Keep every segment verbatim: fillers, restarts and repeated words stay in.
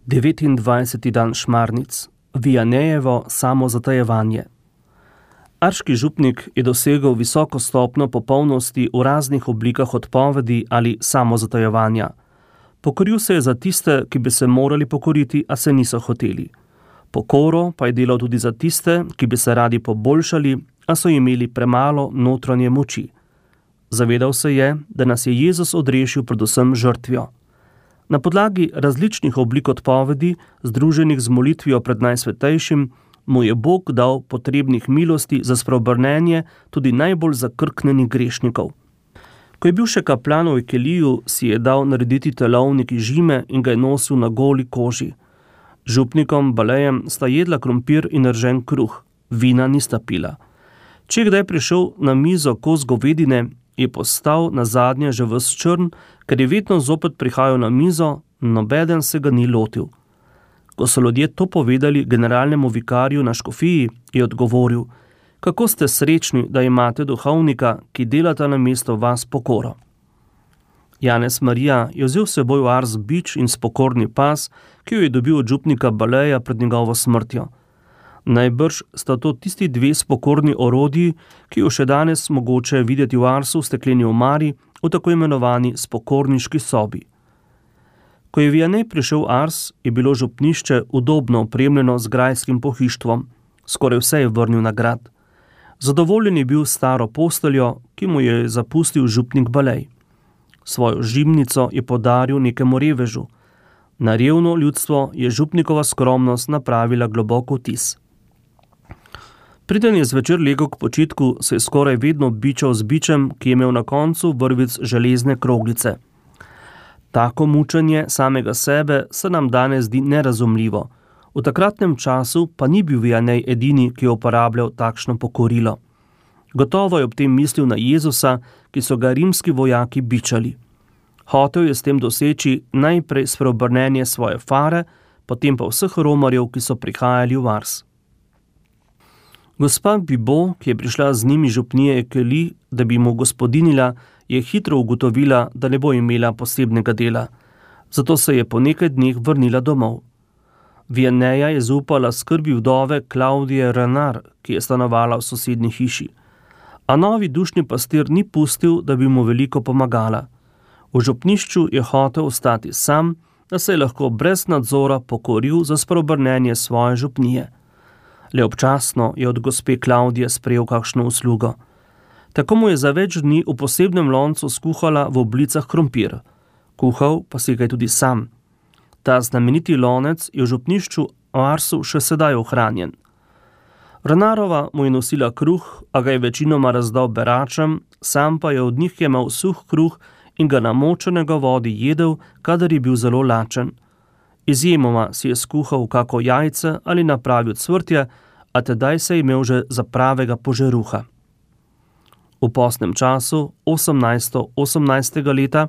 devetindvajseti dan Šmarnic, Vianejevo samozatajevanje. Arški župnik je dosegel visoko stopnjo popolnosti v raznih oblikah odpovedi ali samozatajevanja. Pokoril se je za tiste, ki bi se morali pokoriti, a se niso hoteli. Pokoro pa je delal tudi za tiste, ki bi se radi poboljšali, a so imeli premalo notranje moči. Zavedal se je, da nas je Jezus odrešil predvsem žrtvijo. Na podlagi različnih oblik odpovedi, združenih z molitvijo pred Najsvetejšim, mu je Bog dal potrebnih milosti za spreobrnenje tudi najbolj zakrknenih grešnikov. Ko je bil še kaplan v Ekeliju, si je dal narediti telovnik iz žime in ga je nosil na goli koži. Župnikom Balejem sta jedla krompir in ržen kruh, vina nista pila. Če je kdaj prišel na mizo kos govedine, je postal nazadnje že ves črn, ker je vedno zopet prihajal na mizo, nobeden se ga ni lotil. Ko so ljudje to povedali generalnemu vikarju na škofiji, je odgovoril: kako ste srečni, da imate duhovnika, ki delata na mesto vas pokoro. Janez Marija je vzel s seboj v Ars bič in spokorni pas, ki jo je dobil od župnika Baleja pred njegovo smrtjo. Najbrž sta to tisti dve spokorni orodji, ki jo še danes mogoče videti v Arsu v stekleni omari, v tako imenovani spokorniški sobi. Ko je Vianej prišel v Ars, je bilo župnišče udobno opremljeno z grajskim pohištvom. Skoraj vse je vrnil na grad. Zadovoljen je bil staro posteljo, ki mu je zapustil župnik Balej. Svojo žimnico je podaril nekemu revežu. Na revno ljudstvo je župnikova skromnost napravila globok vtis. Preden je zvečer legel k počitku, se je skoraj vedno bičal z bičem, ki je imel na koncu vrvic železne kroglice. Tako mučenje samega sebe se nam danes zdi nerazumljivo. V takratnem času pa ni bil Vianej edini, ki je uporabljal takšno pokorilo. Gotovo je ob tem mislil na Jezusa, ki so ga rimski vojaki bičali. Hotel je s tem doseči najprej spreobrnenje svoje fare, potem pa vseh romarjev, ki so prihajali v Ars. Gospa Bibo, ki je prišla z njimi župnije Ekeli, da bi mu gospodinila, je hitro ugotovila, da ne bo imela posebnega dela. Zato se je po nekaj dneh vrnila domov. Vianeja je zaupala skrbi vdove Klaudije Renar, ki je stanovala v sosednji hiši. A novi dušni pastir ni pustil, da bi mu veliko pomagala. V župnišču je hotel ostati sam, da se je lahko brez nadzora pokoril za spreobrnenje svoje župnije. Le občasno je od gospe Klaudije sprejel kakšno uslugo. Tako mu je za več dni v posebnem loncu skuhala v oblicah krompir. Kuhal pa si ga je tudi sam. Ta znameniti lonec je v župnišču v Arsu še sedaj ohranjen. Renarova mu je nosila kruh, a ga je večinoma razdal beračem, sam pa je od njih jemal suh kruh in ga namočenega vodi jedel, kadar je bil zelo lačen. Izjemoma si je skuhal kako jajce ali napravil cvrtje, a tedaj se je imel že za pravega požeruha. V postnem času, osemnajsto osemnajstega leta,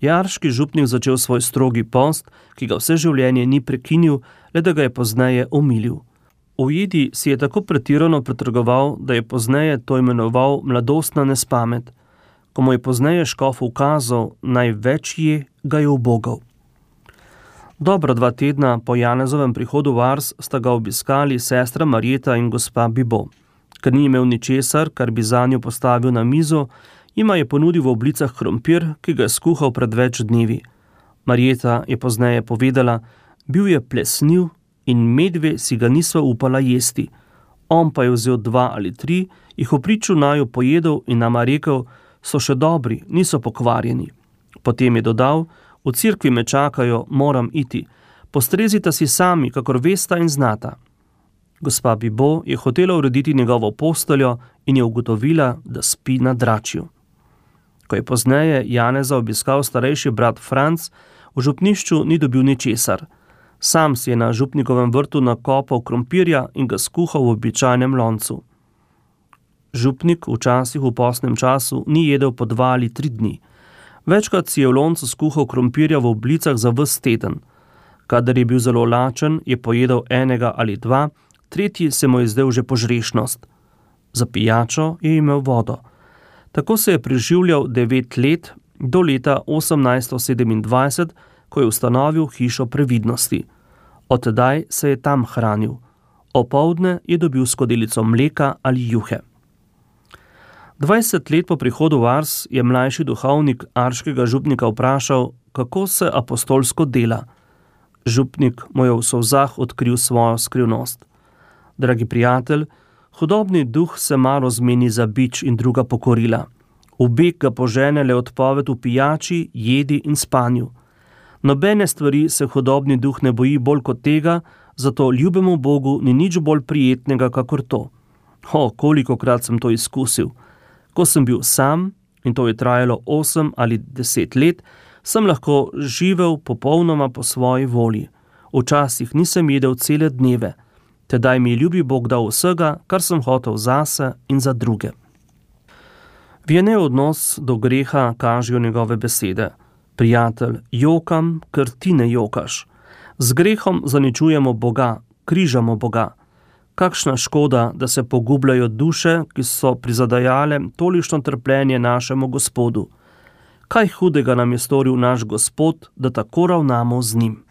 je arški župnik začel svoj strogi post, ki ga vse življenje ni prekinil, le da ga je pozneje omilil. V jedi si je tako pretirano pretrgoval, da je pozneje to imenoval mladostna nespamet. Ko mu je pozneje škof ukazal, naj več je, ga je ubogal. Dobra dva tedna po Janezovem prihodu v Ars sta ga obiskali sestra Marjeta in gospa Bibo. Ker ni imel ničesar, kar bi zanjo postavil na mizo, jima je ponudil v oblicah krompir, ki ga je skuhal pred več dnevi. Marjeta je pozneje povedala: bil je plesniv in medve si ga nisva upala jesti. On pa je vzel dva ali tri, jih v priču naju pojedel in nama rekel: so še dobri, niso pokvarjeni. Potem je dodal: v cerkvi me čakajo, moram iti. Postrezita si sami, kakor vesta in znata. Gospa Bibo je hotela urediti njegovo posteljo in je ugotovila, da spi na dračju. Ko je pozneje Janeza obiskal starejši brat Franc, v župnišču ni dobil ničesar. Sam si je na župnikovem vrtu nakopal krompirja in ga skuhal v običajnem loncu. Župnik včasih v postnem času ni jedel po dva ali tri dni. Večkrat si je v loncu skuhal krompirja v oblicah za ves teden. Kadar je bil zelo lačen, je pojedel enega ali dva, tretji se mu je zdel že požrešnost. Za pijačo je imel vodo. Tako se je preživljal devet let, do leta osemnajsto sedemindvajset, ko je ustanovil hišo previdnosti. Od tedaj se je tam hranil. Opoldne je dobil skodelico mleka ali juhe. Dvajset let po prihodu v Ars je mlajši duhovnik arškega župnika vprašal, kako se apostolsko dela. Župnik mu je v solzah odkril svojo skrivnost. Dragi prijatelj, hudobni duh se malo zmeni za bič in druga pokorila. V beg ga požene le odpoved v pijači, jedi in spanju. Nobene stvari se hudobni duh ne boji bolj kot tega, zato ljubemu Bogu ni nič bolj prijetnega kakor to. O, kolikokrat sem to izkusil. Ko sem bil sam, in to je trajalo osem ali deset let, sem lahko živel popolnoma po svoji volji. Včasih nisem jedel cele dneve. Tedaj mi je ljubi Bog dal vsega, kar sem hotel zase in za druge. Vjene odnos do greha kažejo njegove besede. Prijatelj, jokam, ker ti ne jokaš. Z grehom zaničujemo Boga, križamo Boga. Kakšna škoda, da se pogubljajo duše, ki so prizadajale tolikšno trpljenje našemu Gospodu. Kaj hudega nam je storil naš Gospod, da tako ravnamo z njim?